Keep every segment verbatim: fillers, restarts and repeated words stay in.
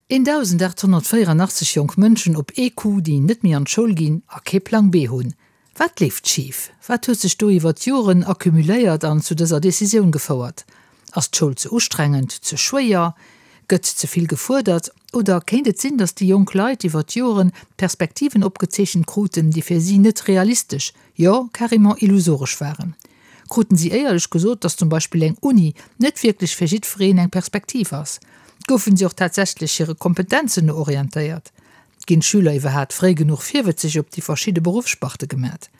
Eentausendachthonnertvéieranachtzeg jonk Mënschen op ee Coup, déi net méi an d'Schoul ginn a kee Plang B hunn. Wat leeft schif? Wat huet sech do iwwer d'Joren accumuléiert an zu dëser Decisioun gefouert? Ass d'Schoul ze ustrengend, ze schwéier? Gëtt ze vill gefuerdert? Oder kéint et sinn, datt déi jonk Leit iwwer d'Joren Perspektiven opgezeechent kruten, déi fir si net realistesch, jo carrément illusoresch waren? Kruten si éierlech gesot, datt zum Beispill eng Uni net wierklech fir jiddwereen eng Perspektiv ass? Goufen si och tatsächlech hire Kompetenzen no orientéiert? Ginn d'Schüler iwwerhaat fréi genuch virwëtzeg op déi verschidde Beruffssparte gemat?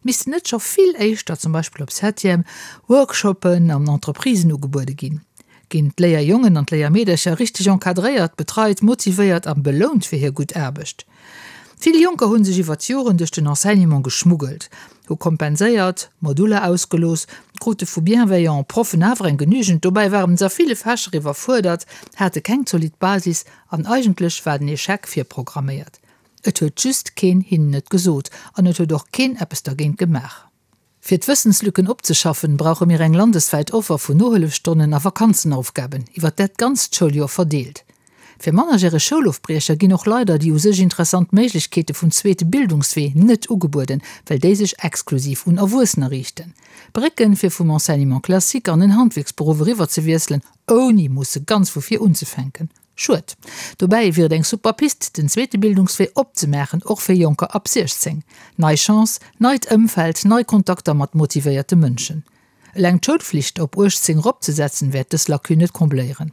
Missten net scho vill éischter, zum Beispill op Septième, Workshoppen an Entreprisen ugebuede ginn? Ginn d'Léierjongen an d'Léiermeedercher richteg encadréiert, betreit, motivéiert a belount fir hir gutt Aarbecht? Vill Jonker hu sech iwwer d'Joren duerch den Enseignement geschmuggelt, hu kompenséiert, Moduller ausgelooss, krute vu bienveillant Proffen awer eng genügend, dobäi waren se a ville Fächer iwwerfuerdert, hate keng zolidd Basis an eigentlech war den Echec virprogramméiert. Et huet just keen hinnen et gesot an et huet och keen eppes dergéint gemaach. Fir d'Wëssenslücken opzeschaffen, brauche mir eng landeswäit Offer vun Nohëllefstonnen a Vakanzenaufgaben, iwwer dat ganzt Schouljoer verdeelt. Fir mannerjäreg Schoulofbriecher ginn och leider déi u sech interessant Méiglechkeete vum zweete Bildungswee net ugebueden, well déi sech exklusiv un Erwuessener riichten. Brécken, fir vum Enseignement classique an en Handwierksberuff eriwwer ze wiesselen, ouni musse ganz vu vir unzefänken. Schued. Dobäi wier et eng super Pist, den zweete Bildungswee opzemaachen, och fir Jonker ab siechzéng. Nei Chance, neit Ëmfeld, nei Kontakter mat motivéierte Mënschen. Eleng d'Schoulflicht op uechtzéng eropzesetzen, wäert dës Lacune net combléieren.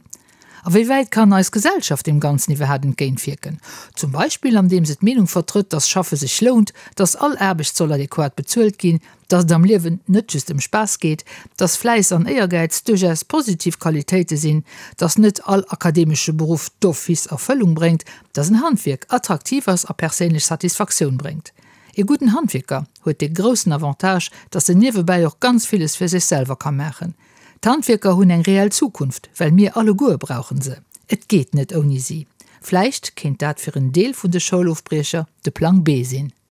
A wéi wäit kann eis Gesellschaft deem Ganzen iwwerhaat entgéintwierken? Zum Beispill andeem se d'Meenung vertrëtt, dass Schaffe sech lount, dass all Aarbecht soll adequat bezuelt ginn, dass et am Liewen net just ëm Spaass geet, dass Fläiss an Éiergäiz duerchaus positiv Qualitéite sinn, dass net all akademesche Beruff d'office Erfëllung bréngt, dass en Handwierk attraktiv ass a perséinlech Satisfaktioun bréngt. Ee gudden Handwierker huet dee groussen Avantage, dass en niewebäi och ganz villes fir sech selwer ka maachen. D'Handwierker hunn eng reell Zukunft, well mir alleguer brauchen se. Et geet net ouni si. Vläicht kéint dat fir en Deel vun de Schoulofbriecher de Plang B sinn.